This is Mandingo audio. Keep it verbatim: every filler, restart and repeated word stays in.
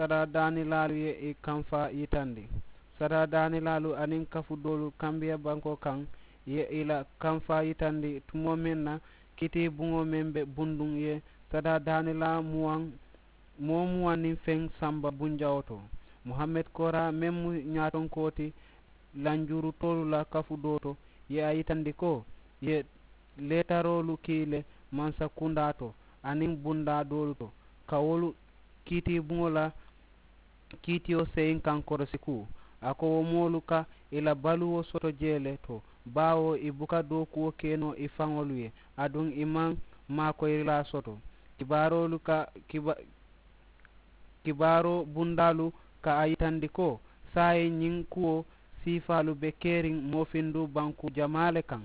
Sadaadaanilaalu ye i kamfaa yitandi. Sadaadaanilaalu aniŋ kafu doolu kambiya bankoo kaŋ ye i la kamfaa yitandi tumoo meŋ na kiitiibuŋo meŋ be bunduŋ ye sadaadaanilaa muwaŋ moo muwaŋ niŋ feŋ samba bunjawoo to. Muhammed kooraa meŋ mu ñaatonkoo ti lanjurutoolu la kafu doo to, ye a yitandi ko i ye leetaroolu kii le mansa kundaa to aniŋ bundaa doolu to ka wolu kiitiibuŋo la kiitiyo seyiŋ kaŋ korosi kuu. A ko wo moolu ka i la baluwo soto jee le to, baawo i buka dookuwo ke noo i faŋolu ye, aduŋ i maŋ maakoyirilaa soto. Kibaaroolu ka kiba kibaaroo bundaalu ka a yitandi ko saayiŋ ñiŋ kuwo siifaalu be keriŋ moofindu bankuu jamaa le kaŋ.